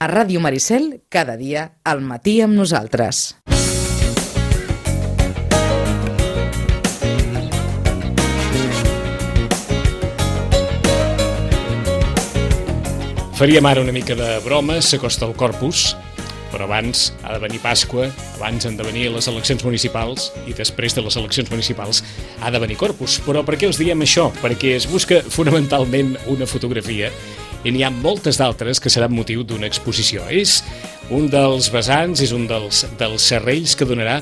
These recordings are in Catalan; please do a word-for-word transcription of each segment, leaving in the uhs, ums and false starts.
A Ràdio Maricel, cada dia, al matí amb nosaltres. Faríem ara una mica de broma, s'acosta el Corpus, però abans ha de venir Pasqua, abans han de venir les eleccions municipals i després de les eleccions municipals ha de venir Corpus. Però per què us diem això? Perquè es busca fonamentalment una fotografia i n'hi ha moltes d'altres que seran motiu d'una exposició. És un dels vessants, és un dels, dels serrells que donarà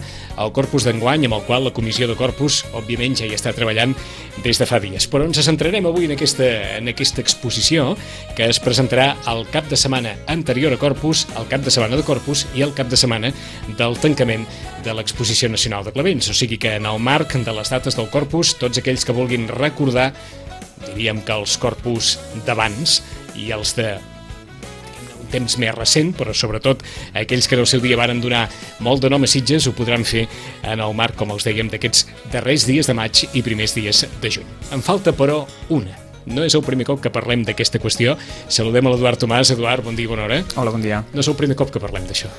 el Corpus d'enguany, amb el qual la Comissió de Corpus, òbviament, ja hi està treballant des de fa dies. Però ens centrarem avui en aquesta, en aquesta exposició que es presentarà el cap de setmana anterior a Corpus, el cap de setmana de Corpus i el cap de setmana del tancament de l'Exposició Nacional de Clavents. O sigui que en el marc de les dates del Corpus, tots aquells que vulguin recordar, diríem que els Corpus d'abans i els de un temps més recent, però sobretot aquells que en el seu dia varen donar molt de nom a Sitges ho podran fer en el marc, com els dèiem, d'aquests darrers dies de maig i primers dies de juny. En falta, però, una. No és el primer cop que parlem d'aquesta qüestió. Saludem a l'Eduard Tomàs. Eduard, bon dia i bona hora. Hola, bon dia. No és el primer cop que parlem d'això.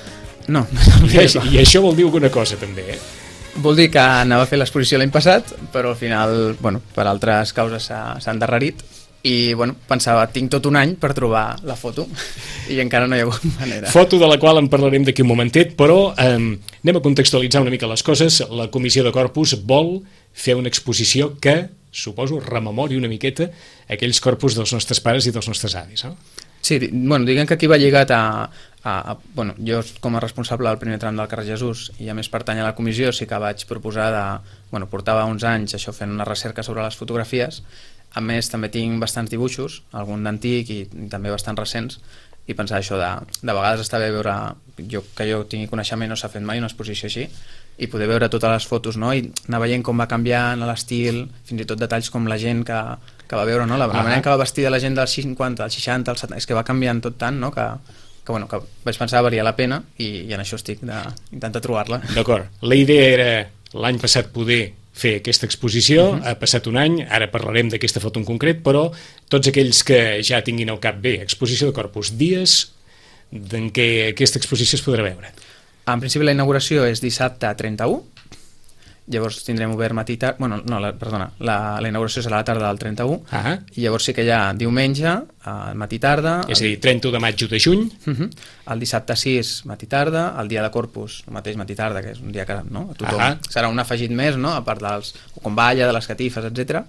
No, no I, I això vol dir alguna cosa, també, eh? Vol dir que anava a fer l'exposició l'any passat, però al final, bueno, per altres causes s'ha endarrerit i, bueno, pensava, tinc tot un any per trobar la foto i encara no hi ha hagut manera. Foto de la qual en parlarem d'aquí un momentet, però eh, anem a contextualitzar una mica les coses. La Comissió de Corpus vol fer una exposició que, suposo, rememori una miqueta aquells corpus dels nostres pares i dels nostres avis, no? Sí, bueno, diguem que aquí va lligat a, a, a... Bueno, jo com a responsable del primer tram del carrer Jesús i a més pertany a la comissió, sí que vaig proposar de... Bueno, portava uns anys això fent una recerca sobre les fotografies. A més, també tinc bastants dibuixos, algun d'antic i, i també bastants recents, i pensar això de, de vegades està bé veure, jo, que jo tingui coneixement, no s'ha fet mai una exposició així, i poder veure totes les fotos, no? I anar veient com va canviant l'estil, fins i tot detalls com la gent que, que va veure, no? La, la manera que va vestir la gent dels cinquanta, dels seixanta, dels setanta, és que va canviant tot tant, no? que, que, bueno, que vaig pensar que valia la pena i, i en això estic d'intentar trobar-la. D'acord. La idea era l'any passat poder fer aquesta exposició, uh-huh. Ha passat un any, ara parlarem d'aquesta foto en concret, però tots aquells que ja tinguin al cap bé, exposició de Corpus, dies en què aquesta exposició es podrà veure. En principi la inauguració és dissabte trenta-u, llavors tindrem obert matí tard, bueno, no, la, perdona, la, la inauguració serà a la tarda del trenta-u, uh-huh. I llavors sí que hi ha diumenge, matí tarda... És a dir, trenta-u de maig o de juny. Uh-huh. El dissabte sis, matí tarda, el dia de Corpus, el mateix matí tarda, que és un dia que, no, a tothom uh-huh. Serà un afegit més, no?, a part dels... com balla, de les catifes, etcètera.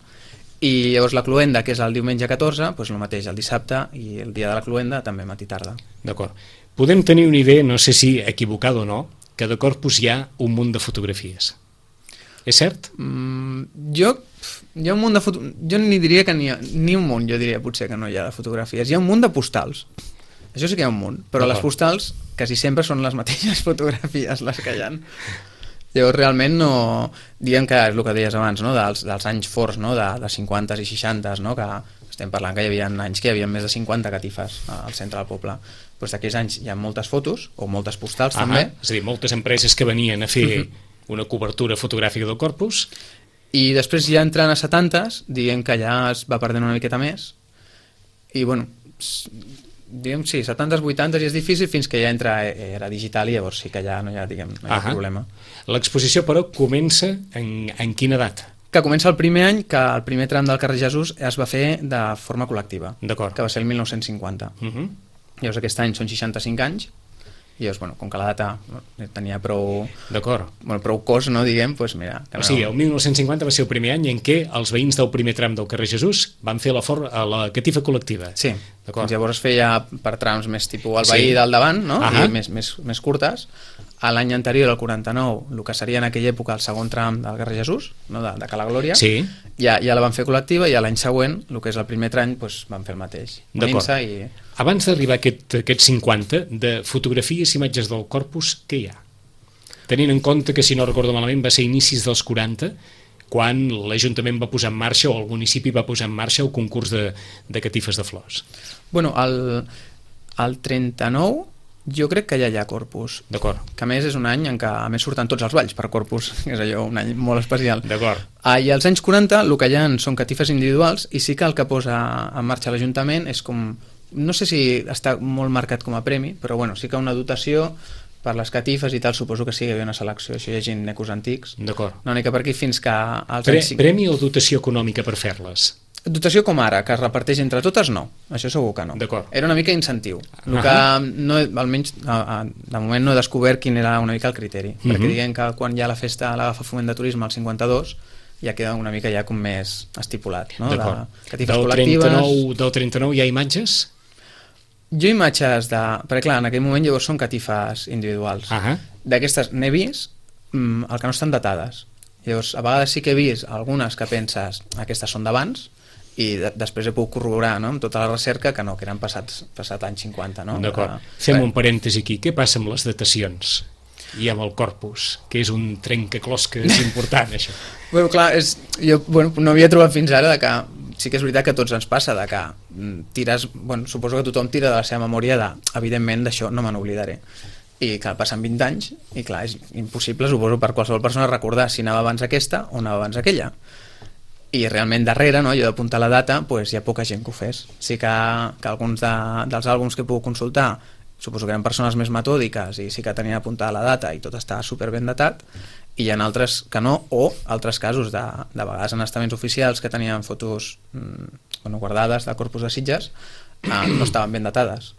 I llavors la cloenda, que és el diumenge catorze, doncs el mateix, el dissabte, i el dia de la cloenda també matí tarda. D'acord. Podem tenir una idea, no sé si equivocada o no, que de Corpus hi ha un munt de fotografies. És cert? Mm, jo, hi ha un munt de foto... jo ni diria que n'hi ha, ni un munt, jo diria potser que no hi ha de fotografies. Hi ha un munt de postals. Això sí que hi ha un munt, però les postals quasi sempre són les mateixes fotografies les que hi ha. Llavors realment no... Diguem que és el que deies abans, no? dels, dels anys forts, no? de, de cinquanta i seixanta, no? Que estem parlant que hi havia anys que hi havia més de cinquanta catifes al centre del poble. Doncs d'aquells anys hi ha moltes fotos, o moltes postals ah, també. És a dir, moltes empreses que venien a fer uh-huh. una cobertura fotogràfica del Corpus. I després ja entrant a setantes, diguem que ja es va perdent una miqueta més. I bueno, diguem, sí, setantes, vuitantes i és difícil fins que ja entra era digital i llavors sí que ja no hi ha, diguem, no hi ha problema. L'exposició, però, comença en, en quina data? Que comença el primer any que el primer tram del carrer Jesús es va fer de forma col·lectiva. D'acord. Que va ser el mil nou-cents cinquanta. Uh-huh. Llavors aquest any són seixanta-cinc anys i llavors, bueno, com que la data tenia prou... D'acord. Bueno, prou cos, no, diguem, doncs mira... O sigui, el mil nou-cents cinquanta va ser el primer any en què els veïns del primer tram del carrer Jesús van fer la, for... la catifa col·lectiva. Sí, doncs llavors es feia per trams més tipus el veí sí. del davant, no? Uh-huh. I més, més, més curtes. A l'any anterior, el quaranta-nou, el que seria en aquella època el segon tram del carrer Jesús, no? de, de Cala Glòria, sí. ja, ja la van fer col·lectiva i a l'any següent, el que és el primer tram, doncs, van fer el mateix. D'acord. I... Abans d'arribar a aquest, aquest cinquanta, de fotografies i imatges del Corpus, què hi ha? Tenint en compte que, si no recordo malament, va ser inicis dels quaranta, quan l'Ajuntament va posar en marxa, o el municipi va posar en marxa el concurs de, de catifes de flors. Bueno, el, el trenta-nou jo crec que ja hi ha Corpus. D'acord. Que a més és un any en què a més surten tots els balls per Corpus, que és allò, un any molt especial. D'acord. Ah, I als anys quaranta el que hi ha són catifes individuals i sí que el que posa en marxa l'Ajuntament és com no sé si està molt marcat com a premi, però bueno, sí que una dotació per les catifes i tal, suposo que sí que hi havia una selecció, això llegint Necos Antics. D'acord. Una mica per aquí fins que... Als Pre anys... Premi o dotació econòmica per fer-les? Dotació com ara, que es reparteix entre totes, no. Això segur que no. D'acord. Era una mica incentiu. El Uh-huh. que no, almenys a, a, de moment no he descobert quin era una mica el criteri, Uh-huh. perquè diguem que quan hi ha la festa l'agafa Foment de Turisme al cinquanta-dos ja queda una mica ja com més estipulat, no? D'acord. De catifes Del col·lectives... trenta-nou, del trenta-nou hi ha imatges? Jo imatges de... Perquè clar, en aquell moment llavors són catifes individuals. Ah, D'aquestes n'he vist mm, el que no estan datades. Llavors, a vegades sí que he vist algunes que penses aquestes són d'abans i de després he pogut corroborar, no?, amb tota la recerca que no, que eren passats, passat anys cinquanta, no? D'acord. Uh, Fem bé. un parèntesi aquí. Què passa amb les datacions? I amb el corpus, que és un trencaclosques important, això. Bueno, clar, és, jo bueno, no havia trobat fins ara de que sí que és veritat que a tots ens passa de que tires, bueno, suposo que tothom tira de la seva memòria de, evidentment, d'això no me n'oblidaré. I clar, passen vint anys i clar, és impossible, suposo, per qualsevol persona recordar si anava abans aquesta o anava abans aquella. I realment darrere, no, jo d'apuntar la data, pues, hi ha poca gent que ho fes. Sí que, que alguns de, dels àlbums que he pogut consultar suposo que eren persones més metòdiques i sí que tenien apuntada la data i tot està super ben datat, i hi ha altres que no, o altres casos de, de vegades en estaments oficials que tenien fotos mmm, bueno, guardades del Corpus de Sitges, eh, no estaven ben datades.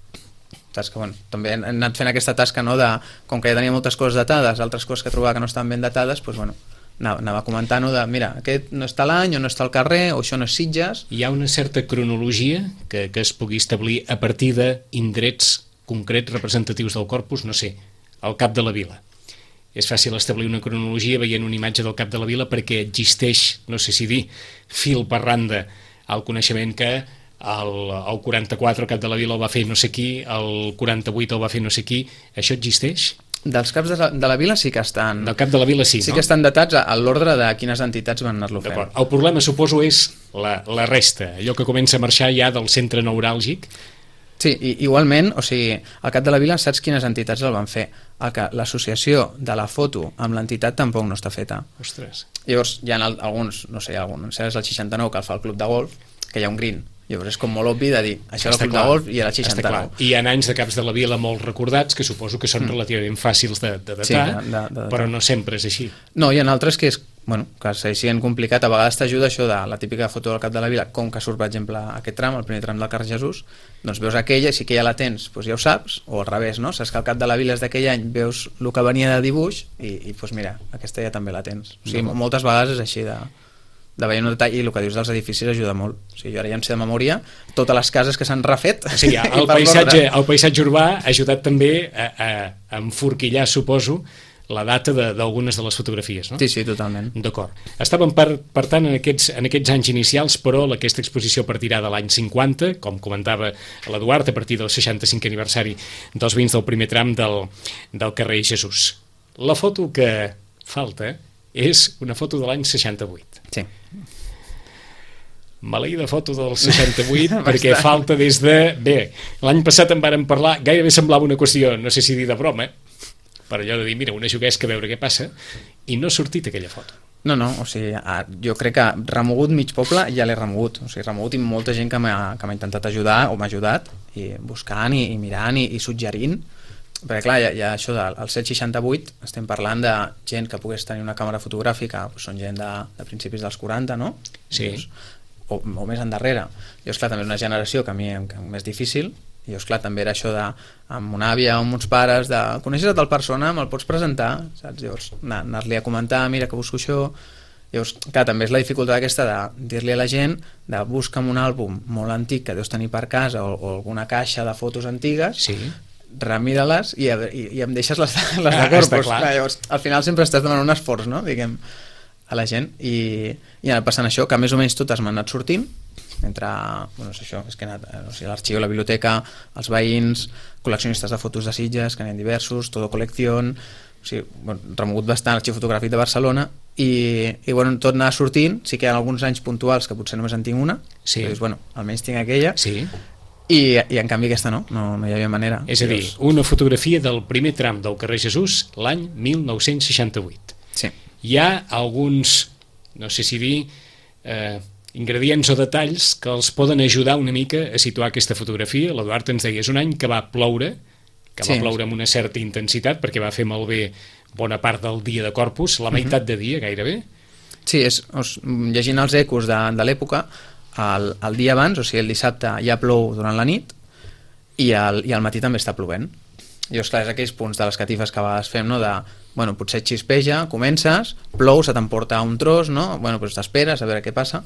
Saps que, bueno, també hem anat fent aquesta tasca, no, de, com que ja tenia moltes coses datades, altres coses que trobava que no estaven ben datades, doncs, bueno, anava, anava comentant, no, de, mira, aquest no està a l'any, o no està al carrer, o això no és Sitges. Hi ha una certa cronologia que, que es pugui establir a partir d'indrets concrets representatius del corpus, no sé, al Cap de la Vila. És fàcil establir una cronologia veient una imatge del Cap de la Vila perquè existeix, no sé si dir, fil per randa el coneixement que el, el quaranta-quatre el Cap de la Vila el va fer no sé qui, el quaranta-vuit el va fer no sé qui. Això existeix? Dels caps de la, de la Vila sí que estan... Del Cap de la Vila sí, sí no? que estan datats a, a l'ordre de quines entitats van anar-lo fent. D'acord. El problema, suposo, és la, la resta, allò que comença a marxar ja del centre neuràlgic. Sí, i, igualment, o sigui, al Cap de la Vila saps quines entitats el van fer. El que l'associació de la foto amb l'entitat tampoc no està feta. Ostres. Llavors hi ha alguns, no sé, algun, és el seixanta-nou que el fa el Club de Golf, que hi ha un green. Llavors és com molt obvi de dir, això era el Club de Golf i era el seixanta-nou. I hi ha anys de caps de la Vila molt recordats que suposo que són mm. relativament fàcils de, de datar, sí, de, de, de, però no sempre és així. No, hi ha altres que és, bueno, que segueixen complicat. A vegades t'ajuda això de la típica foto del Cap de la Vila, com que surt, per exemple, aquest tram, el primer tram del carrer Jesús, doncs veus aquella, si que ja la tens, doncs ja ho saps, o al revés, no? Saps que el Cap de la Vila és d'aquell any, veus el que venia de dibuix i, i doncs mira, aquesta ja també la tens. O sigui, no. Moltes vegades és així de... de veure un detall, i el que dius dels edificis ajuda molt. O sigui, jo ara ja em sé de memòria totes les cases que s'han refet. O sigui, el, paisatge, el paisatge urbà ha ajudat també a, a, a enforquillar, suposo, la data d'algunes de, de les fotografies, no? Sí, sí, totalment. D'acord. Estàvem, per, per tant, en aquests, en aquests anys inicials, però aquesta exposició partirà de l'any cinquanta, com comentava l'Eduard, a partir del seixanta-cinquè aniversari dels vins del primer tram del, del carrer Jesús. La foto que falta és una foto de l'any seixanta-vuit. Sí. Maleïda foto del seixanta-vuit perquè falta des de... Bé, l'any passat en vàrem parlar, gairebé semblava una qüestió, no sé si dir de broma, per allò de dir, mira, una juguesca a veure què passa, i no ha sortit aquella foto. No, no, o sigui, jo crec que remogut mig poble ja l'he remogut, o sigui, remogut i molta gent que m'ha intentat ajudar o m'ha ajudat, i buscant i, i mirant i, i suggerint, perquè clar, hi ha, hi ha això del set seixanta-vuit, estem parlant de gent que pogués tenir una càmera fotogràfica, doncs són gent de, de principis dels quaranta, no? Sí. Llavors, o, o més endarrere. Llavors, clar, també és una generació que a mi em és més difícil, i llavors, clar, també era això de, amb una àvia o amb uns pares, de coneixes a tal persona, me'l pots presentar, saps? Llavors, anar-li a comentar, mira que busco això. Llavors, clar, també és la dificultat aquesta de dir-li a la gent de busca'm un àlbum molt antic que deus tenir per casa o, o alguna caixa de fotos antigues, sí, remira-les i, i, i em deixes les, les de Corpus. Ah, llavors, al final sempre estàs demanant un esforç, no?, diguem, a la gent, i, i anat passant això, que més o menys totes m'han anat sortint, entre, bueno, és això, és que he anat, o sigui, l'arxiu, la biblioteca, els veïns, col·leccionistes de fotos de Sitges, que n'hi ha diversos, Todo Colección, o sigui, bueno, remogut bastant l'arxiu fotogràfic de Barcelona, i, i bueno, tot anava sortint. Sí que hi ha alguns anys puntuals que potser només en tinc una, sí, però dius, bueno, almenys tinc aquella, sí, I, i en canvi aquesta no, no, no hi havia manera. És a dir, una fotografia del primer tram del carrer Jesús l'any mil nou-cents seixanta-vuit. Sí. Hi ha alguns, no sé si dir, eh, ingredients o detalls que els poden ajudar una mica a situar aquesta fotografia. L'Eduard ens deia, és un any que va ploure, que va sí. ploure amb una certa intensitat, perquè va fer malbé bona part del dia de Corpus, la meitat de dia gairebé. Sí, és, os, llegint els ecos de, de l'època, el, el dia abans, o sigui, el dissabte ja plou durant la nit i al, i al matí també està plovent. I esclar, és aquells punts de les catifes que a vegades fem, no? De, bueno, potser xispeja, comences, plou, se t'emporta un tros, no? Bueno, doncs t'esperes a veure què passa.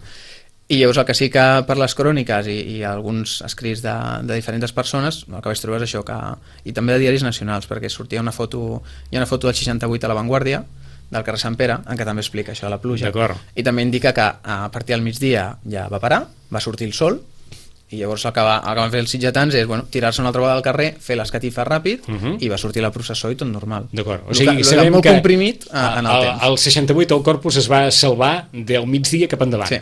I llavors el que sí que per les cròniques i, i alguns escrits de, de diferents persones, el que vaig trobar és això, que, i també de diaris nacionals, perquè sortia una foto, hi ha una foto del seixanta-vuit a La Vanguardia, del carrer Sant Pere, en què també explica això de la pluja. I també indica que a partir del migdia ja va parar, va sortir el sol, i llavors el que, va, el que van fer els sitgetans és bueno, tirar-se una altra vegada al carrer, fer les catifes ràpid uh -huh. i va sortir la processó i tot normal. D'acord. O sigui, que, sabem molt que comprimit a, en el, el temps. El seixanta-vuit el Corpus es va salvar del migdia cap endavant. Sí.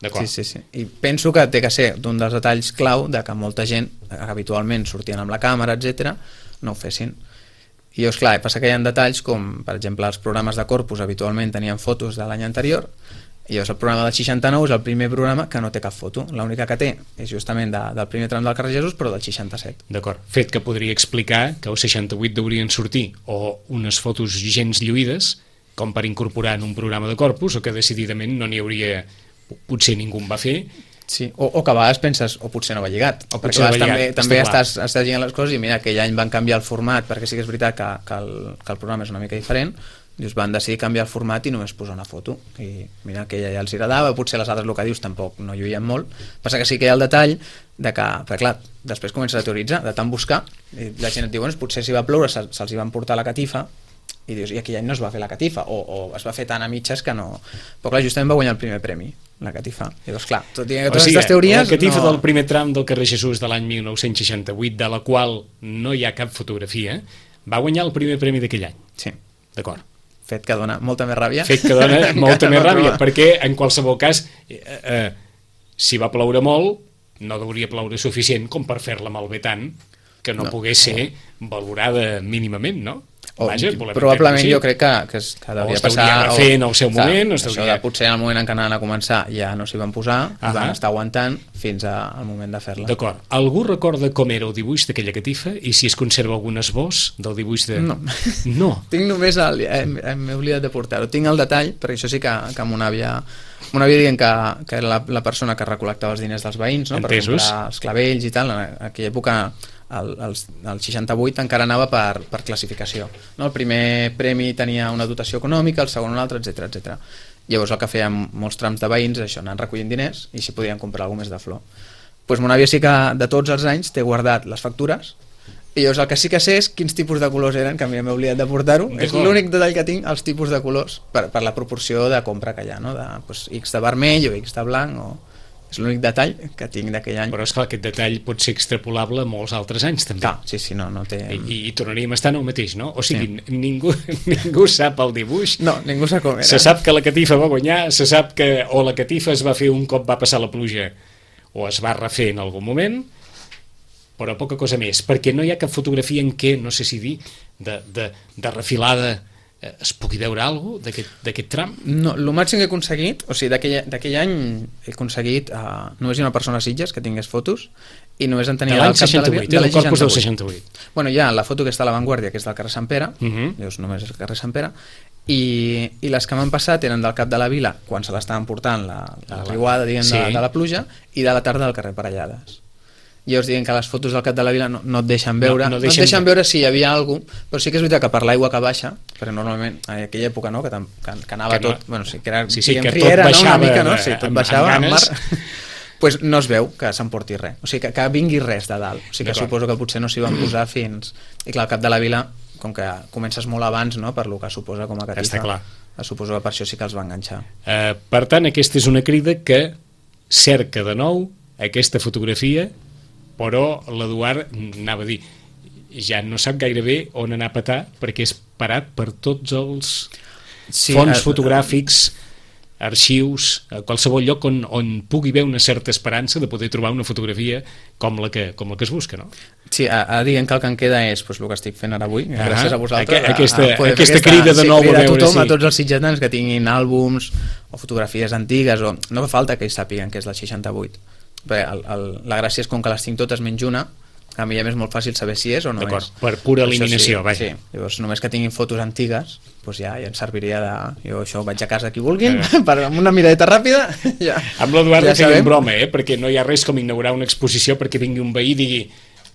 Sí, sí, sí. I penso que té que ser d'un dels detalls clau de que molta gent, que habitualment sortien amb la càmera, etcètera, no ho fessin. I llavors, clar, passa que hi ha detalls com, per exemple, els programes de Corpus habitualment tenien fotos de l'any anterior, i llavors el programa del seixanta-nou és el primer programa que no té cap foto. L'única que té és justament de, del primer tram del carrer Jesús, però del seixanta-set. D'acord. Fet que podria explicar que el seixanta-vuit deurien sortir o unes fotos gens lluïdes, com per incorporar en un programa de Corpus, o que decididament no n'hi hauria, potser ningú en va fer. Sí, o, o que a vegades penses, o potser no va lligat, o perquè a vegades també, també estàs, estàs lligant les coses i mira, aquell any van canviar el format, perquè sí que és veritat que, que, el, que el programa és una mica diferent, dius, van decidir canviar el format i només posar una foto, i mira, aquella ja els agradava, potser les altres, el que dius, tampoc no lluïen molt. Passa que sí que hi ha el detall de que, perquè clar, després comences a teoritzar, de tant buscar, i la gent et diu, bueno, potser si va ploure se'ls se hi van portar la catifa, i dius, i aquell any no es va fer la catifa, o, o es va fer tan a mitges que no... Però clar, justament va guanyar el primer premi, la catifa. I llavors, clar, tot i que totes aquestes teories... La catifa no... del primer tram del carrer Jesús de l'any mil nou-cents seixanta-vuit, de la qual no hi ha cap fotografia, va guanyar el primer premi d'aquell any. Sí. D'acord. Fet que dona molta més ràbia. Fet que dona molta més ràbia, perquè en qualsevol cas, eh, eh, si va ploure molt, no hauria ploure suficient com per fer-la malbé tant que no, no pogués ser valorada mínimament, no? O, Vaja, probablement jo crec que, que, es, que devia passar o fer en el seu moment, o això de potser en el moment en què anaven a començar ja no s'hi van posar, uh -huh. van estar aguantant fins a, al moment de fer-la. D'acord. Algú recorda com era el dibuix d'aquella catifa i si es conserva algun esbós del dibuix de... No, no. Tinc només el... m'he oblidat de portar-ho, tinc el detall, perquè això sí que, que mon àvia mon àvia dient que, que era la, la persona que recol·lectava els diners dels veïns, no? Entesos. Per comprar els clavells i tal, en aquella època el, el, el seixanta-vuit encara anava per, per classificació, no? El primer premi tenia una dotació econòmica, el segon un altre, etcètera, etcètera. Llavors el que feien molts trams de veïns és això, anant recollint diners i si podien comprar alguna més de flor. Pues mon àvia sí que de tots els anys té guardat les factures i llavors el que sí que sé és quins tipus de colors eren, que a mi m'he oblidat de portar-ho, és l'únic detall que tinc, els tipus de colors per, per la proporció de compra que hi ha, no? De, pues, X de vermell o X de blanc o... és l'únic detall que tinc d'aquell any. Però esclar, aquest detall pot ser extrapolable a molts altres anys també. Ah, sí, sí, no, no té... I, i tornaríem a estar en el mateix, no? O sigui, sí. ningú, ningú sap el dibuix. No, ningú sap com era. Se sap que la catifa va guanyar, se sap que o la catifa es va fer un cop va passar la pluja o es va refer en algun moment, però poca cosa més, perquè no hi ha cap fotografia en què, no sé si dir, de, de, de refilada es pugui veure alguna cosa d'aquest tram? No, el màxim que he aconseguit, o sigui, d'aquell any he aconseguit, uh, només hi ha una persona a Sitges que tingués fotos i només en tenia al cap de la via, de l'any Corpus del seixanta-vuit. Bueno, hi ha la foto que està a La Vanguardia, que és del carrer Sant Pere, uh -huh. llavors només és el carrer Sant Pere, i, i les que m'han passat eren del cap de la vila, quan se l'estaven portant la, la riuada, diguem, sí. de, de la pluja, i de la tarda del carrer Parellades. I llavors diuen que les fotos del cap de la vila no, no et deixen veure, no, no, deixen... no et deixen veure si hi havia alguna cosa, però sí que és veritat que per l'aigua que baixa, perquè normalment en aquella època no, que, que, que anava que no, tot, bueno, sí, que era sí, sí, que riera, tot baixava, no, una mica, no? Sí, tot amb, baixava amb al mar, pues no es veu que s'emporti res, o sigui, que, que vingui res de dalt, o sigui que suposo que potser no s'hi van posar fins... I clar, el cap de la vila, com que comences molt abans, no?, per lo que suposa com a catifa, està clar. Suposo que per això sí que els va enganxar. Uh, per tant, aquesta és una crida que cerca de nou aquesta fotografia, però l'Eduard anava a dir ja no sap gairebé on anar a petar perquè és parat per tots els sí, fons eh, fotogràfics arxius, a qualsevol lloc on, on pugui haver una certa esperança de poder trobar una fotografia com la que, com la que es busca, no? Sí, ara diguem que el que em queda és pues, el que estic fent ara avui, ah, gràcies a vosaltres. Aqu aquesta, a, a aquesta, aquesta crida de sí, nou a veure, veure tothom, si... a tots els sitgetans que tinguin àlbums o fotografies antigues, o no fa falta que ells sàpiguen que és del seixanta-vuit. Perquè el, el, la gràcia és com que les tinc totes menys una, a mi ja és molt fàcil saber si és o no és. Per pura eliminació, sí, vaja. Sí. Llavors, només que tinguin fotos antigues, doncs ja, ja em serviria de... Jo això vaig a casa qui vulguin, eh. per, amb una miradeta ràpida, ja. Amb l'Eduard ja ja feia broma, eh? Perquè no hi ha res com inaugurar una exposició perquè vingui un veí i digui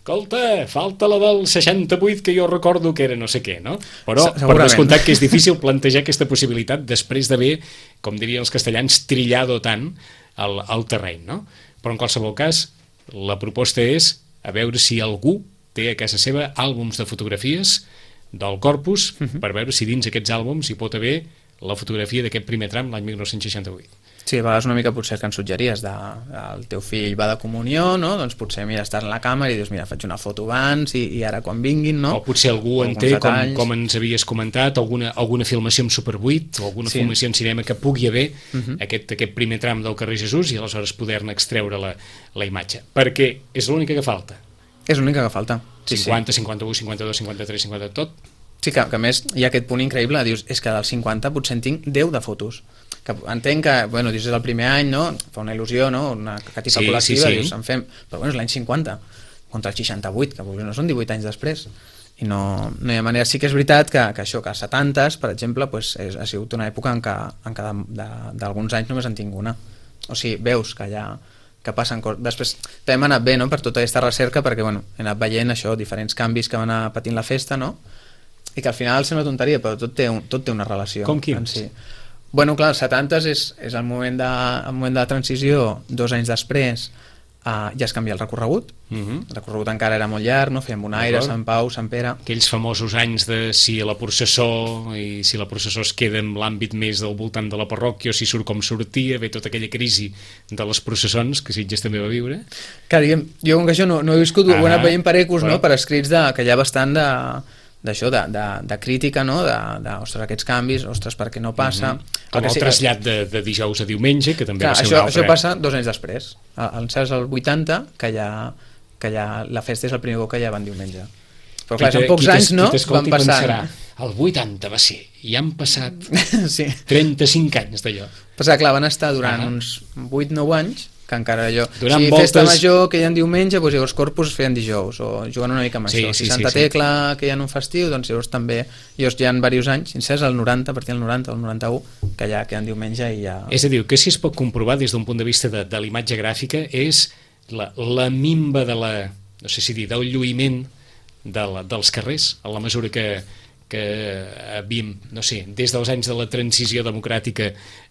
escolta, falta la del seixanta-vuit que jo recordo que era no sé què, no? Però per descomptat que és difícil plantejar aquesta possibilitat després d'haver, com dirien els castellans, trillado tant el, el terreny, no? Però en qualsevol cas, la proposta és a veure si algú té a casa seva àlbums de fotografies del Corpus, uh-huh. per veure si dins aquests àlbums hi pot haver la fotografia d'aquest primer tram l'any dinou seixanta-vuit. Sí, a vegades una mica potser que ens suggeries de, el teu fill va de comunió, no? Doncs potser mira, estàs en la càmera i dius mira, faig una foto abans i, i ara quan vinguin, no? O potser algú en té, com, com ens havies comentat, alguna, alguna filmació amb Super vuit o alguna sí. filmació en cinema que pugui haver uh-huh. aquest, aquest primer tram del carrer Jesús i aleshores poder-ne extreure la, la imatge. Perquè és l'única que falta. És l'única que falta. Sí, cinquanta, sí. cinquanta-u, cinquanta-dos, cinquanta-tres, cinquanta, tot. Sí, que, que a més hi ha aquest punt increïble, dius, és que del cinquanta potser en tinc deu de fotos. Que entenc que, bueno, dius, és el primer any, no? Fa una il·lusió, no? Una catifa sí, col·lectiva, sí, sí. Dius, en fem... Però bueno, és l'any cinquanta, contra el seixanta-vuit, que no són divuit anys després. I no, no hi ha manera. Sí que és veritat que, que això, que als setantes, per exemple, pues, és, ha sigut una època en què, en què d'alguns anys només en tinc una. O sigui, veus que hi ha... que passen coses. Després també hem anat bé, no?, per tota aquesta recerca, perquè bueno, he anat veient això, diferents canvis que van anar patint la festa, no?, i que al final sembla tonteria, però tot té, un, tot té una relació. Com quins? Si. Bueno, clar, els setantes és, és el, moment de, el moment de la transició, dos anys després uh, ja es canvia el recorregut, uh-huh. el recorregut encara era molt llarg, no? Fèiem Bonaire, Sant Pau, Sant Pere... Aquells famosos anys de si la processó i si la processó es queda en l'àmbit més del voltant de la parròquia o si surt com sortia, ve tota aquella crisi de les processons que Sitges també va viure. Clar, diguem, jo com que això no, no he viscut, ah, ho he anat veient per ecos, però... no? Per escrits de, que hi ha bastant de... d'això, de, de, de crítica, no? De, de, ostres, aquests canvis, ostres, per què no passa... Mm-hmm. Com el, el sí, trasllat de, de dijous a diumenge, que també clar, va ser això, un altre... Això passa dos anys després. En certs el vuitanta, que ja, que ja la festa és el primer cop que ja van diumenge. Però clar, en pocs anys, no? Van passar... El vuitanta va ser, i han passat sí. trenta-cinc anys d'allò. Però clar, van estar durant ah. uns vuit nou anys, que encara allò... Durant si voltes... festa major que hi ha diumenge, doncs llavors Corpus es feien dijous, o jugant una mica amb sí, això. Sí, si Santa sí, Tecla sí. que hi ha un festiu, doncs llavors també... Llavors hi ha diversos anys, sincers, el noranta, a partir del noranta, el noranta-u, que ja queden diumenge i ja... És a dir, que si es pot comprovar des d'un punt de vista de, de l'imatge gràfica és la, la mimba de la... no sé si dir, del lluïment de la, dels carrers, a la mesura que... que havíem, no sé, des dels anys de la transició democràtica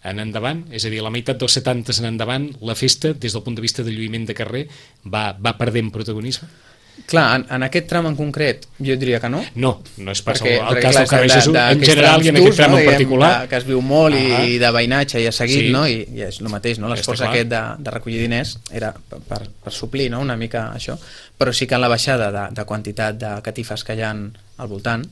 en endavant, és a dir, la meitat dels setantes en endavant, la festa, des del punt de vista de lluïment de carrer, va, va perdent protagonisme? Clar, en, en aquest tram en concret jo diria que no. No, no és pas perquè, el, el perquè, cas clar, del carrer de, Jesús, de, en general i en aquest tram no, en particular. De, que es viu molt i, ah. i de veïnatge i ha seguit, sí. no? I, i és el mateix, no? L'esforç aquest de, de recollir diners era per, per, per suplir, no? Una mica això, però sí que en la baixada de, de quantitat de catifes que hi ha al voltant,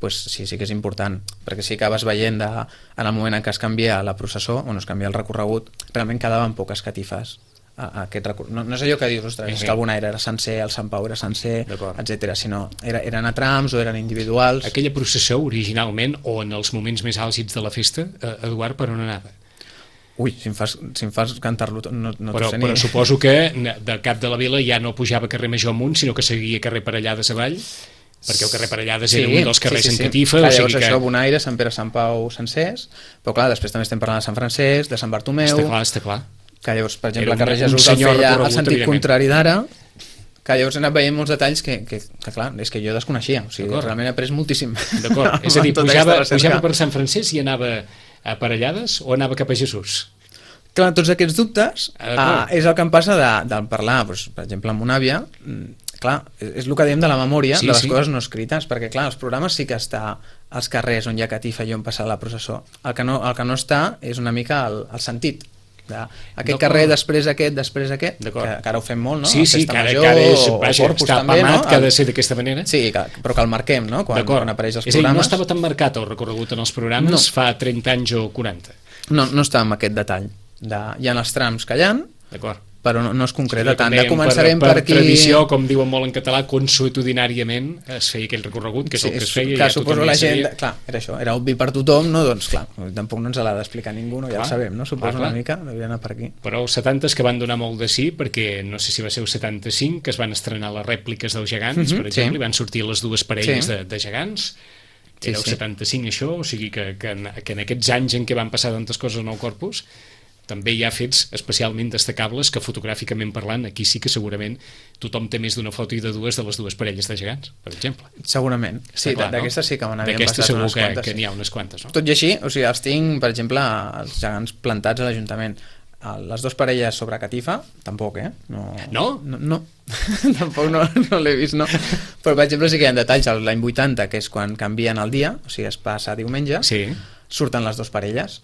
pues sí, sí que és important, perquè sí que vas veient de, en el moment en què es canvia la processó, on es canvia el recorregut, realment quedaven poques catifes. A, a aquest recor... no, no és allò que dius, ostres, sí, sí. És que el Bonaire era sencer, el Sant Pau era sencer, etcètera, sinó era, eren a trams o eren individuals. Aquella processó originalment, o en els moments més àlgids de la festa, eh, Eduard, per on anava? Ui, si em fas, si em fas cantar-lo no, no però, sé ni... però suposo que del cap de la vila ja no pujava carrer Major amunt, sinó que seguia carrer Parellades avall, perquè el carrer Parellades sí, era un dels carrers sí, sí, sí. en catifa. Clar, o sigui llavors que... això, Bonaire, Sant Pere, Sant Pau, sencers, però clar, després també estem parlant de Sant Francesc, de Sant Bartomeu... Està clar, està clar. Que llavors, per exemple, el carrer Jesús el feia al sentit contrari d'ara, que llavors he anat veient molts detalls que, que, que clar, és que jo desconeixia, o sigui, realment he après moltíssim. D'acord, és a dir, pujava, pujava per Sant Francesc i anava a Parellades o anava cap a Jesús? Clar, tots aquests dubtes ah, és el que em passa de, de parlar, doncs, per exemple, amb una àvia, clar, és el que diem de la memòria, sí, de les sí. coses no escrites, perquè clar, els programes sí que està als carrers on hi ha catifa i on passa la processó. El que no, el que no està és una mica el, el sentit. De, aquest carrer, després aquest, després aquest, que, que ara ho fem molt, no? Sí, sí, que ara, que ara és, vaja, està també, apamat, no? Que ha de ser d'aquesta manera. Sí, que, però que el marquem, no? Quan, quan apareix els és programes. És a dir, no estava tan marcat el recorregut en els programes no. fa trenta anys o quaranta. No, no està amb aquest detall. De, hi ha els trams que hi ha, D'acord. però no, no es concreta Sí, tant. dèiem, Ja començarem per, per, per aquí... tradició, com diuen molt en català, consuetudinàriament es feia aquell recorregut, que és Sí, el que es és- feia, clar, i ja suposo tothom la ja gent, sabia. clar, era això, era obvi per tothom, no? Doncs clar, tampoc no ens l'ha d'explicar ningú, no? Ja Clar, ho sabem, no? Suposo clar, clar. una mica, devia anar per aquí. Però els setantes que van donar molt de sí, perquè no sé si va ser el setanta-cinc que es van estrenar les rèpliques dels gegants, Mhm, per exemple, sí. i van sortir les dues parelles Sí. de, de gegants. Sí, Era el sí. setanta-cinc això, o sigui que, que, en, que en aquests anys en què van passar tantes coses en el corpus també hi ha fets especialment destacables que fotogràficament parlant, aquí sí que segurament tothom té més d'una foto i de dues de les dues parelles de gegants, per exemple. Segurament. Sí, Està clar, d'aquestes no? sí que me n'havien D'aquestes passat segur unes que, quantes. que sí. n'hi ha unes quantes, no? Tot i així, o sigui, els tinc, per exemple, els gegants plantats a l'Ajuntament. Les dues parelles sobre catifa, tampoc, eh? No? No? No, no. tampoc no, no l'he vist, no. Però, per exemple, sí que hi ha detalls. L'any vuitanta, que és quan canvien el dia, o sigui, es passa a diumenge, Sí. surten les dues parelles.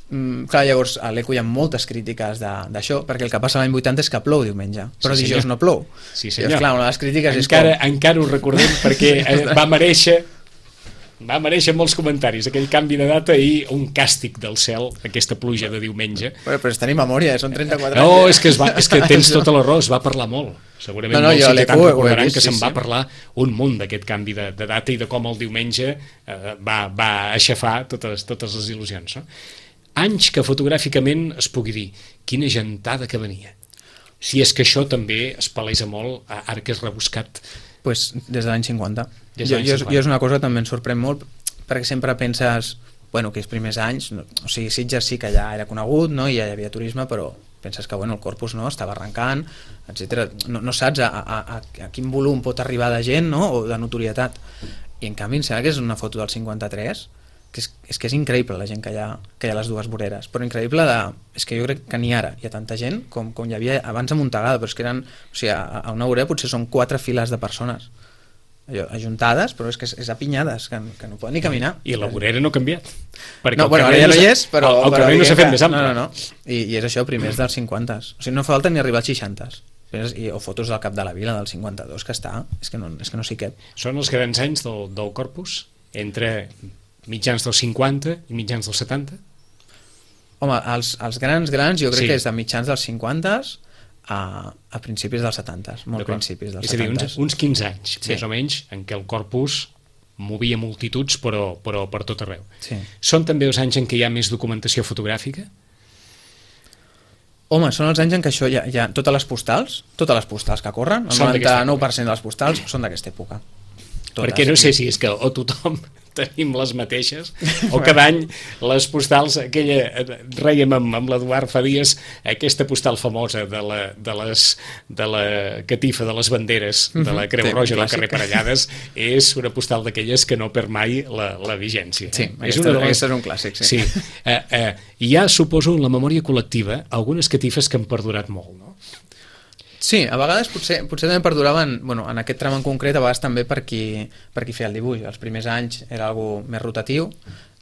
Mm, clar, llavors a l'Eco hi ha moltes crítiques de- d'això, perquè el que passa l'any vuitanta és que plou diumenge, però Sí, dijous senyor. no plou. Sí, Llavors, senyor. clar, una de les crítiques encara, és com... encara ho recordem perquè eh, va mereixer va mereixer molts comentaris aquell canvi de data i un càstig del cel, aquesta pluja de diumenge. Però, però és tenir memòria, eh? Són trenta-quatre No, anys. és que, es va, és que tens tota la raó, es va parlar molt. Segurament No, no, molts jo a ciutadans l'Eco ho he recordaran vist, que sí, se'n va sí. parlar un munt d'aquest canvi de, de data i de com el diumenge eh, va, va aixafar totes, totes les il·lusions. No? Anys que fotogràficament es pugui dir quina gentada que venia. Si és que això també es palesa molt, ara que és rebuscat. Pues des de l'any cinquanta. Des de Jo, l'any jo, cinquanta. jo és una cosa que també em sorprèn molt, perquè sempre penses, bueno, que els primers anys, no, o sigui, Sitges sí que ja era conegut, no? I ja hi havia turisme, però penses que bueno, el corpus no estava arrencant, etcètera. No, no saps a, a, a, a quin volum pot arribar de gent, no? O de notorietat. I en canvi em sembla que és una foto del cinquanta-tres, que és, és que és increïble la gent que hi ha, que hi ha a les dues voreres, però increïble de, és que jo crec que ni ara hi ha tanta gent com, com hi havia abans a Montagada, però és que eren, o sigui, a, a una vorera potser són quatre files de persones allò, ajuntades, però és que és, és apinyades, que, que no poden ni caminar. I la vorera no ha canviat. Perquè No, el bueno, ara carrer ja no hi s'ha- és, però... El, el però carrer no s'ha diguem fet que- més ample. No, no, no. I, i és això, primers dels cinquanta. O sigui, no falta ni arribar als seixanta. I, o fotos del cap de la vila del cinquanta-dos que està, és que no, és que no s'hi cap. Són els grans anys del, del corpus, entre mitjans dels cinquanta i mitjans dels setanta? Home, els, els grans, grans, jo crec Sí. que és de mitjans dels cinquanta a, a principis dels setanta, molt D'acord. principis dels És a dir, setanta. uns, uns quinze anys, Sí. més o menys, en què el corpus movia multituds, però, però per tot arreu. Sí. Són també els anys en què hi ha més documentació fotogràfica? Home, són els anys en què això hi ha, hi ha totes les postals, totes les postals que corren, el Són d'aquesta noranta-nou per cent de les postals són d'aquesta època. Totes. Perquè no sé si és que o tothom tenim les mateixes o cada any les postals aquella, eh, rèiem amb, amb l'Eduard fa dies aquesta postal famosa de la, de, les, de la catifa de les banderes de la Creu Sí, Roja un del carrer clàssic. Parellades és una postal d'aquelles que no perd mai la, la vigència. Sí, és aquesta, una de les... aquesta és un clàssic, sí. Sí. Eh, eh, hi ha, suposo, en la memòria col·lectiva algunes catifes que han perdurat molt, no? Sí, a vegades potser, potser també perduraven, bueno, en aquest tram en concret, a vegades també per qui, per qui feia el dibuix. Els primers anys era algo més rotatiu,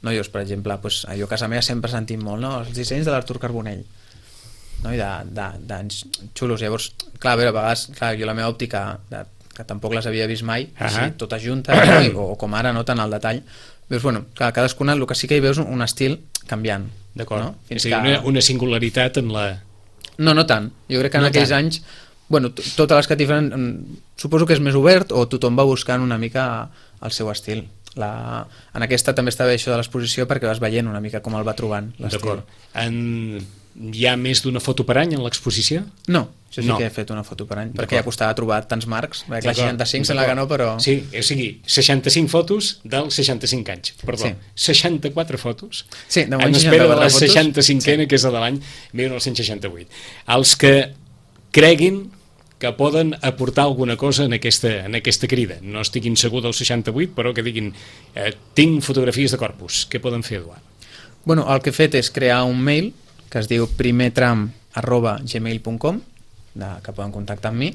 no? Llavors, per exemple, pues, jo a casa meva sempre sentim molt, no? Els dissenys de l'Artur Carbonell, no? I d'anys xulos. Llavors, clar, a veure, a vegades, clar, jo la meva òptica, de, que tampoc les havia vist mai, Uh -huh. així, totes juntes, no? I, o, o com ara, no tant al detall, veus, bueno, clar, cadascuna, el que sí que hi veus un, un estil canviant. D'acord. No? És a dir, una, una singularitat en la... No, no tant. Jo crec que en No aquells tant. anys, bueno, t- totes les catifes, mm, suposo que és més obert o tothom va buscant una mica el seu estil. La... En aquesta també està bé això de l'exposició perquè vas veient una mica com el va trobant l'estil. D'acord. En... Hi ha més d'una foto per any en l'exposició? No, això sí No. que he fet una foto per any, D'acord. perquè ja costava trobar tants marcs, perquè la D'acord, seixanta-cinc sembla que no, però... Sí, o sigui, seixanta-cinc fotos dels seixanta-cinc anys, perdó, Sí. seixanta-quatre fotos Sí, de moment en espera de la seixanta-quatre fotos. seixanta-cinquena, sí. Que és la de l'any dinou seixanta-vuit. Els que creguin que poden aportar alguna cosa en aquesta, en aquesta crida, no estiguin segur del seixanta-vuit, però que diguin eh, tinc fotografies de corpus, què poden fer, Eduard? Bueno, el que he fet és crear un mail que es diu primertram arroba gmail punt com, que poden contactar amb mi,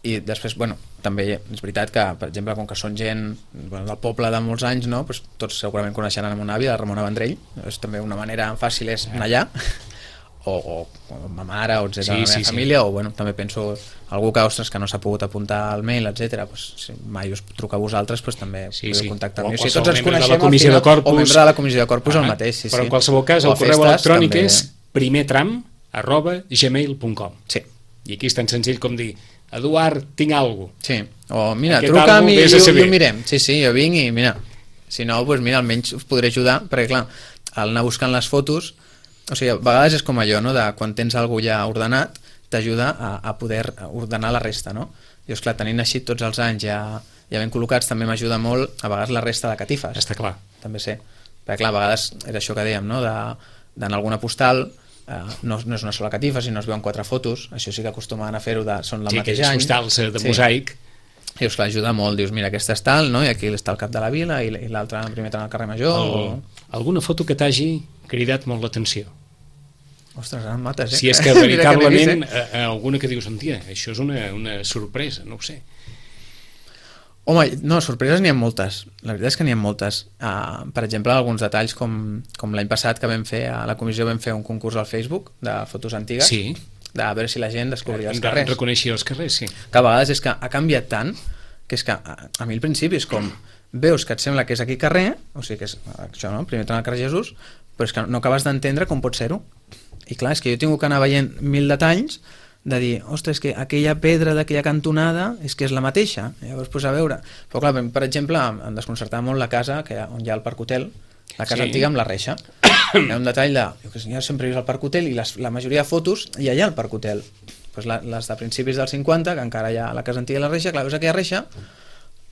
i després, bueno, també és veritat que, per exemple, com que són gent bueno, del poble de molts anys, no? Pues tots segurament coneixeran a mon avi, la Ramona Vendrell, és també una manera fàcil és anar allà, o, o, o ma mare, o etcètera, Sí, la meva sí, sí. família, o bueno, també penso algú que, ostres, que no s'ha pogut apuntar al mail, etcètera, pues, si mai us truca a vosaltres, pues, també Sí, podeu sí. contactar O amb mi. Si qualsevol tots ens membre de la coneixem, al comissió final, de Corpus. o membre de la comissió de Corpus, Ah, el mateix, sí, però sí. en qualsevol cas, O el a correu festes, electrònic també. és primertram arroba gmail punt com. Sí. I aquí és tan senzill com dir, Eduard, tinc alguna cosa. Sí, o mira, Aquest truca'm àlbum i, vés i, a i saber. ho mirem. Sí, sí, jo vinc i mira, si no, doncs mira, almenys us podré ajudar, perquè clar, al anar buscant les fotos, o sigui, a vegades és com allò, no?, de quan tens alguna ja ordenat, t'ajuda a, a poder ordenar la resta, no? I esclar, tenint així tots els anys ja, ja ben col·locats, també m'ajuda molt a vegades la resta de catifes. Està clar. També sé, perquè clar, a vegades era això que dèiem, no?, d'anar a alguna postal, eh, no, no és una sola catifa, sinó es veuen quatre fotos, això sí que acostumen a fer-ho, de, són la Sí, mateix aquells any. postals eh, de Sí. mosaic. I us clar, ajuda molt, dius, mira, aquesta és tal, no? I aquí està el cap de la vila i, i l'altre en primer tram al carrer Major. El, O... alguna foto que t'hagi cridat molt l'atenció. Ostres, ara em mates, eh? Si és que Mira n'he veritablement vist, eh? eh, alguna que dius, tia, això és una, una sorpresa, no ho sé. Home, no, sorpreses n'hi ha moltes. La veritat és que n'hi ha moltes. Uh, per exemple, alguns detalls com, com l'any passat que vam fer, a la comissió vam fer un concurs al Facebook de fotos antigues, Sí. de a veure si la gent descobria els Em carrers. reconeixia els carrers, sí. Que a vegades és que ha canviat tant que és que a, a mi al principi és com veus que et sembla que és aquí carrer, o sigui que és això, no? Primer tram al carrer Jesús, però és que no acabes d'entendre com pot ser-ho. I clar, és que jo he tingut que anar veient mil detalls de dir, ostres, és que aquella pedra d'aquella cantonada és que és la mateixa. I llavors, pues, a veure... Però clar, per exemple, em desconcertava molt la casa que, on hi ha el Parc Hotel, la casa Sí. antiga amb la reixa. Hi ha un detall de... Jo, que jo sempre he vist el Parc Hotel i les, la majoria de fotos hi ha allà al Parc Hotel. Pues la, les de principis dels cinquanta, que encara hi ha la casa antiga i la reixa, clar, veus aquella reixa,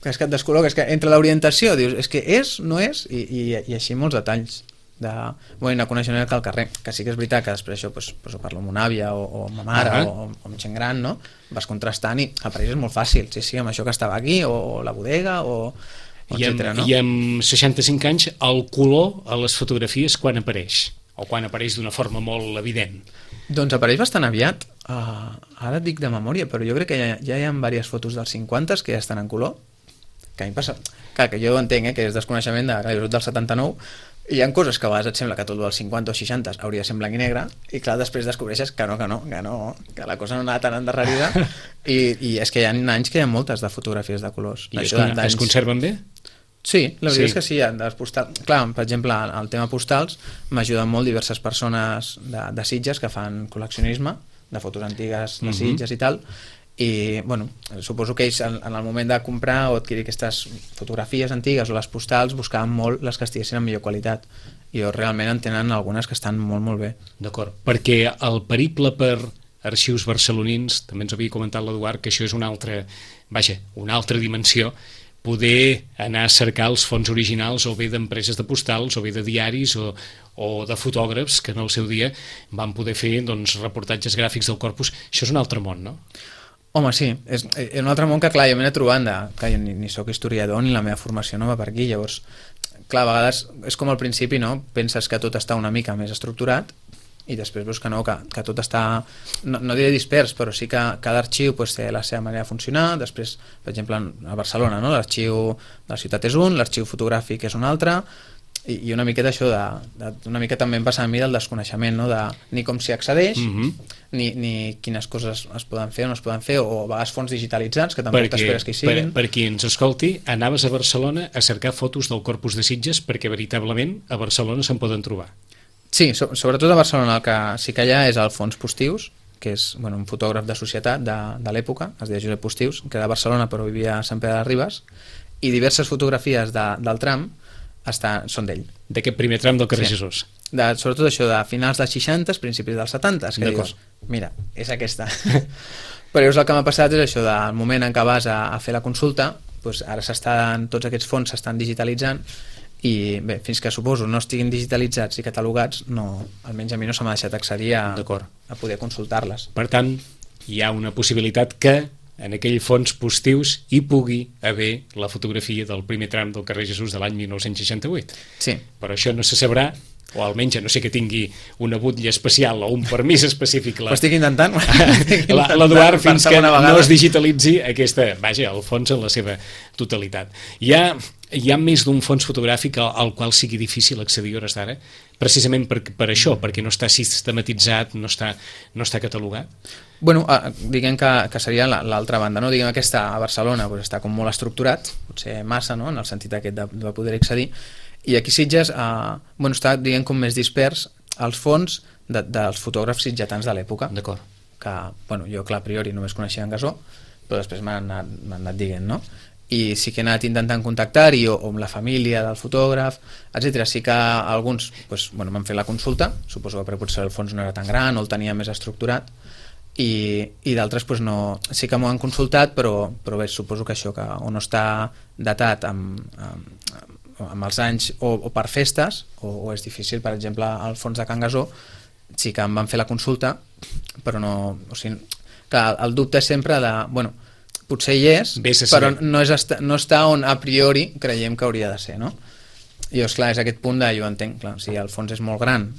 que és que et descol·loca, és que entre l'orientació dius, és que és, no és, i, i, i així molts detalls de, bueno, no coneixen el que al carrer, que sí que és veritat que després això pues, pues, ho parlo amb una àvia o, o ma mare Uh-huh. o, o amb gent gran, no? Vas contrastant i a París és molt fàcil, sí, sí, amb això que estava aquí o, o la bodega o, o I amb, etcètera, no? I amb seixanta-cinc anys el color a les fotografies quan apareix? O quan apareix d'una forma molt evident? Doncs apareix bastant aviat, uh, ara et dic de memòria, però jo crec que ja, ja hi ha diverses fotos dels cinquanta que ja estan en color, que a mi passa, clar, que jo entenc, eh, que és desconeixement de, clar, jo soc del setanta-nou, i hi ha coses que a vegades et sembla que tot dels cinquanta o seixanta hauria de ser en blanc i negre, i clar, després descobreixes que no, que no, que no, que la cosa no anava tan endarrerida, i, i és que hi ha anys que hi ha moltes de fotografies de colors. I es, Això con d'anys- es conserven bé? Sí, la veritat Sí. és que sí, de les postal... Clar, per exemple, el tema postals m'ajuden molt diverses persones de, de Sitges que fan col·leccionisme de fotos antigues de Mhm. Sitges i tal, i bueno, suposo que ells en, en el moment de comprar o adquirir aquestes fotografies antigues o les postals buscaven molt les que estiguessin en millor qualitat, i jo realment en tenen algunes que estan molt molt bé. D'acord, perquè el periple per arxius barcelonins, també ens havia comentat l'Eduard que això és una altra, vaja, una altra dimensió, poder anar a cercar els fons originals o bé d'empreses de postals o bé de diaris o, o de fotògrafs que en el seu dia van poder fer doncs, reportatges gràfics del corpus. Això és un altre món, no? Home, sí, és, és un altre món que, clar, jo m'he anat trobant de, clar, jo ni, ni sóc historiador ni la meva formació no va per aquí, llavors, clar, a vegades és com al principi, no? Penses que tot està una mica més estructurat i després veus que no, que, que tot està, no, no diré dispers, però sí que cada arxiu pues, té la seva manera de funcionar. Després, per exemple, a Barcelona, no? L'arxiu de la ciutat és un, l'arxiu fotogràfic és un altre, i, i una miqueta això de, de, una mica també em passa a mi del desconeixement, no? De ni com s'hi accedeix, Mhm. ni, ni quines coses es poden fer o no es poden fer, o a vegades fons digitalitzats que tampoc t'esperes que hi per, siguin. per qui ens escolti, anaves a Barcelona a cercar fotos del Corpus de Sitges perquè veritablement a Barcelona se'n poden trobar. Sí, so, sobretot a Barcelona el que sí que hi ha és el Fons Postius, que és bueno, un fotògraf de societat de, de l'època, es deia Josep Postius, que era de Barcelona però vivia a Sant Pere de Ribes, i diverses fotografies de, del tram està, són d'ell. D'aquest primer tram del carrer Sí. Jesús. De, sobretot això de finals dels seixanta, principis dels setanta, que D'acord. dius, mira, és aquesta. Però llavors el que m'ha passat és això, del moment en què vas a, a fer la consulta, doncs ara s'estan, tots aquests fons s'estan digitalitzant, i bé, fins que suposo no estiguin digitalitzats i catalogats, no, almenys a mi no se m'ha deixat accedir a, D'acord. a poder consultar-les. Per tant, hi ha una possibilitat que en aquell fons postius hi pugui haver la fotografia del primer tram del carrer Jesús de l'any mil nou-cents seixanta-vuit. Sí, Però això no se sabrà o almenys, a no sé que tingui una butlla especial o un permís específic la, Ho estic intentant. l'Eduard, fins que no es digitalitzi aquesta, vaja, el fons en la seva totalitat. Hi ha, hi ha més d'un fons fotogràfic al, al qual sigui difícil accedir a hores d'ara, precisament per, per això, perquè no està sistematitzat, no està, no està catalogat? Bueno, eh, diguem que, que seria l'altra banda, no? Diguem que aquesta a Barcelona pues, està com molt estructurat, potser massa, no? En el sentit aquest de, de poder accedir, i aquí Sitges eh, bueno, està diguem com més dispers als fons de, dels fotògrafs sitgetans de l'època. D'acord. Que, bueno, jo clar, a priori només coneixia en Gasó, però després m'han anat, m'han anat dient, no? I sí que he anat intentant contactar-hi o, o amb la família del fotògraf, etcètera. Sí que alguns pues, bueno, m'han fet la consulta, suposo que potser el fons no era tan gran o el tenia més estructurat, i, i d'altres pues, no, sí que m'ho han consultat, però, però bé, suposo que això que o no està datat amb, amb, amb els anys o, o per festes, o, o és difícil. Per exemple, al fons de Can Gasó sí que em van fer la consulta, però no, o sigui, que el dubte és sempre de, bueno, potser hi és, però no, és esta, no està on a priori creiem que hauria de ser, no? I és clar, és aquest punt de, jo entenc, clar, si el fons és molt gran,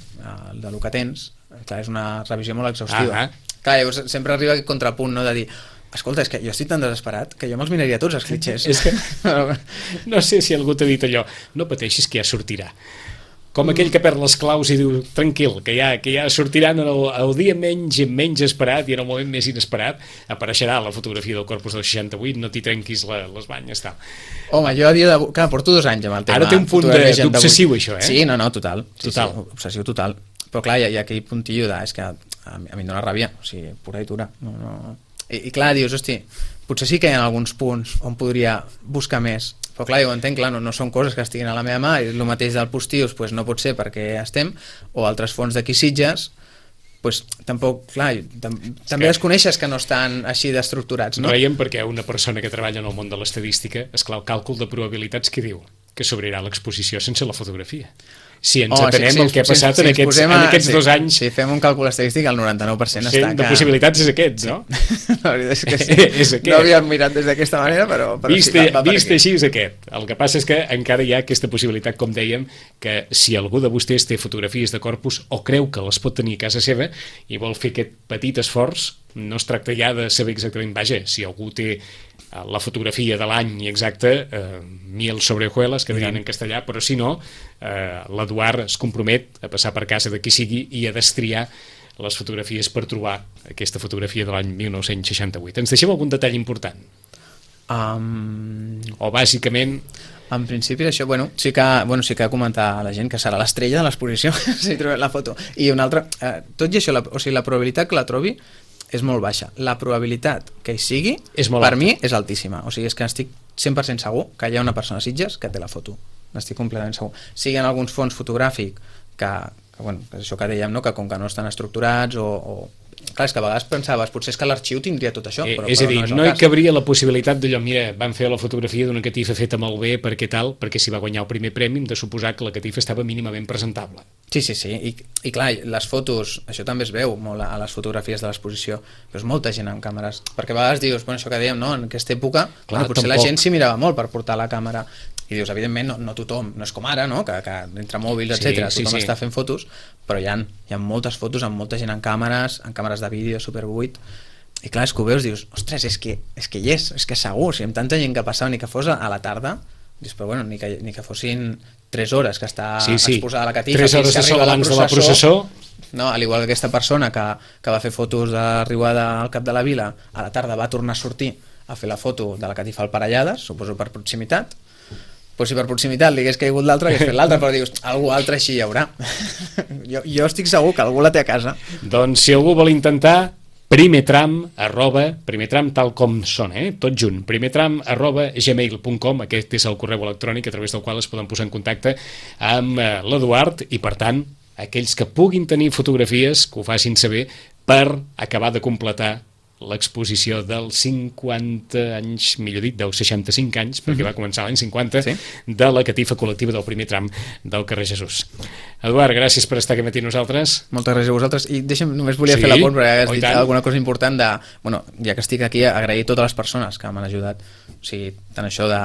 el de lo que tens, clar, és una revisió molt exhaustiva. Ah, ah. Clar, llavors sempre arriba aquest contrapunt, no?, de dir, escolta, és que jo estic tan desesperat que jo me'ls miraria tots els clitxers. És que no sé si algú t'ha dit allò, no pateixis que ja sortirà. Com aquell que perd les claus i diu, tranquil, que ja, que ja sortiran el, el dia menys menys esperat i en el moment més inesperat apareixerà la fotografia del Corpus del seixanta-vuit, no t'hi trenquis la, les banyes, tal. Home, jo a dia d'avui, clar, porto dos anys amb el tema. Ara té un punt d'obsessiu, això, eh? Sí, no, no, total. Total. Sí, sí, obsessiu total. Però clar, hi ha, hi ha aquell puntillo de, és que a, a mi em dóna ràbia, o sigui, pura i dura. No, no... I, I clar, dius, hosti, potser sí que hi ha alguns punts on podria buscar més, però clar, jo ho entenc, clar, no, no són coses que estiguin a la meva mà, i el mateix del Postius pues, no pot ser perquè estem, o altres fons d'aquí Sitges, pues, tampoc, clar, tam també es coneixes que no estan així d'estructurats, no? Reiem perquè una persona que treballa en el món de l'estadística, esclar, el càlcul de probabilitats que diu que s'obrirà l'exposició sense la fotografia. Si ens oh, atenem sí, sí, el que ha passat sí, en, aquests, sí, en aquests sí, dos anys... Si fem un càlcul estadístic, el noranta-nou per cent està... De possibilitats és aquest, no? La veritat és que sí. és aquest. No havíem mirat des d'aquesta manera, però, però vist, sí, va, va vist així és aquest. El que passa és que encara hi ha aquesta possibilitat, com dèiem, que si algú de vostès té fotografies de Corpus o creu que les pot tenir a casa seva i vol fer aquest petit esforç, no es tracta ja de saber exactament, vaja, si algú té la fotografia de l'any exacte, eh, miel sobre hojuelas, que dirien en castellà, però si no, eh, l'Eduard es compromet a passar per casa de qui sigui i a destriar les fotografies per trobar aquesta fotografia de l'any mil nou-cents seixanta-vuit. Ens deixem algun detall important? Um... O bàsicament... En principi això, bueno, sí que, bueno, sí que comentar a la gent que serà l'estrella de l'exposició, si trobem la foto. I una altra, eh, tot i això, la, o sigui, la probabilitat que la trobi és molt baixa. La probabilitat que hi sigui, per alta. Mi, és altíssima. O sigui, és que estic cent per cent segur que hi ha una persona a Sitges que té la foto. N'estic completament segur. Sigui en alguns fons fotogràfics que, que, bueno, que és això que dèiem, no? Que com que no estan estructurats o... o... Clar, és que a vegades pensaves, potser és que l'arxiu tindria tot això, però, eh, és a dir, però no és no hi cabria la possibilitat d'allò, mira, van fer la fotografia d'una catifa feta molt bé, perquè tal, perquè si va guanyar el primer premi hem de suposar que la catifa estava mínimament presentable. Sí, sí, sí, I, i clar, les fotos, això també es veu molt a les fotografies de l'exposició, però és molta gent amb càmeres, perquè a vegades dius, bueno, això que dèiem, no? En aquesta època, clar, bueno, potser tampoc. La gent s'hi mirava molt per portar la càmera, i dius, evidentment, no, no tothom, no és com ara, no? Que, que entre mòbils, sí, etcètera, tothom sí, sí. està fent fotos, però hi ha, hi ha moltes fotos amb molta gent en càmeres, en càmeres de vídeo super vuit, i clar, és que ho veus, dius, ostres, és que, és que hi és, és que segur, si amb tanta gent que passava, ni que fos a la tarda, dius, però bueno, ni que, ni que fossin tres hores que està sí, sí. exposada a la catifa, tres hores de sol abans de la processó, no, al igual que aquesta persona que, que va fer fotos d'arribada al Cap de la Vila, a la tarda va tornar a sortir a fer la foto de la catifa al Parellades, suposo per proximitat, pues si per proximitat li hagués caigut l'altre, hagués fet l'altre, però dius, algú altre així hi haurà. jo, jo estic segur que algú la té a casa. Doncs si algú vol intentar, primertram arroba, primertram tal com sona, eh? Tot junt, primertram arroba gmail punt com, aquest és el correu electrònic a través del qual es poden posar en contacte amb l'Eduard i, per tant, aquells que puguin tenir fotografies que ho facin saber per acabar de completar l'exposició dels cinquanta anys, millor dit, dels seixanta-cinc anys, perquè va començar l'any cinquanta, sí? De la catifa col·lectiva del primer tram del carrer Jesús. Eduard, gràcies per estar aquí matí nosaltres. Moltes gràcies a vosaltres. I deixa'm, només volia sí? fer la pont, perquè has dit alguna cosa important de... Bueno, ja que estic aquí, agrair a totes les persones que m'han ajudat. O sigui, tant això de,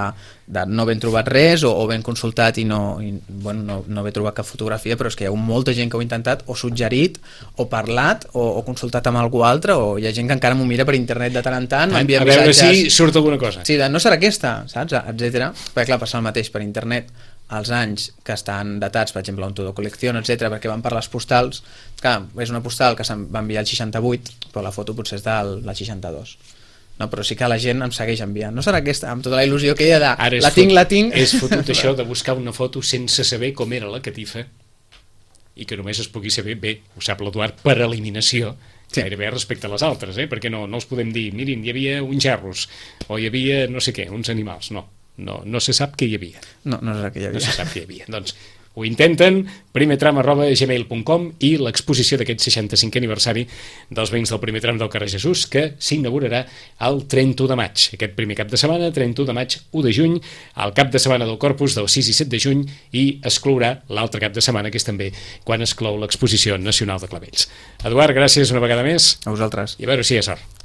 de no haver trobat res o, o ben consultat i, no, i bueno, no, no haver trobat cap fotografia, però és que hi ha molta gent que ho ha intentat o suggerit o parlat o, o consultat amb algú altre, o hi ha gent que encara m'ho mira per internet de tant en tant, m'envia missatges... A veure si surt alguna cosa. Sí, de no serà aquesta, saps? Etcètera. Perquè clar, passa el mateix per internet, els anys que estan datats, per exemple, un todo colección, etcètera, perquè van per les postals. Clar, és una postal que se'n va enviar el seixanta-vuit, però la foto potser és del la seixanta-dos. No, però sí que la gent em segueix enviant. No serà aquesta, amb tota la il·lusió que hi ha de la tinc, la tinc... És fotut això de buscar una foto sense saber com era la catifa i que només es pugui saber, bé, ho sap l'Eduard, per eliminació, sí. Gairebé respecte a les altres, eh? Perquè no, no els podem dir, mirin, hi havia uns gerros, o hi havia no sé què, uns animals, no. No, no se sap què hi havia. No, no se sap què hi havia. No se sap què hi havia. Doncs ho intenten, primer tram arroba gmail punt com, i l'exposició d'aquest seixanta-cinquè aniversari dels veïns del primer tram del carrer Jesús, que s'inaugurarà el trenta-u de maig. Aquest primer cap de setmana, trenta-u de maig, u de juny, el cap de setmana del Corpus del sis i set de juny, i exclourà l'altre cap de setmana, que és també quan es clou l'exposició nacional de Clavells. Eduard, gràcies una vegada més. A vosaltres. I a veure si hi ha sort.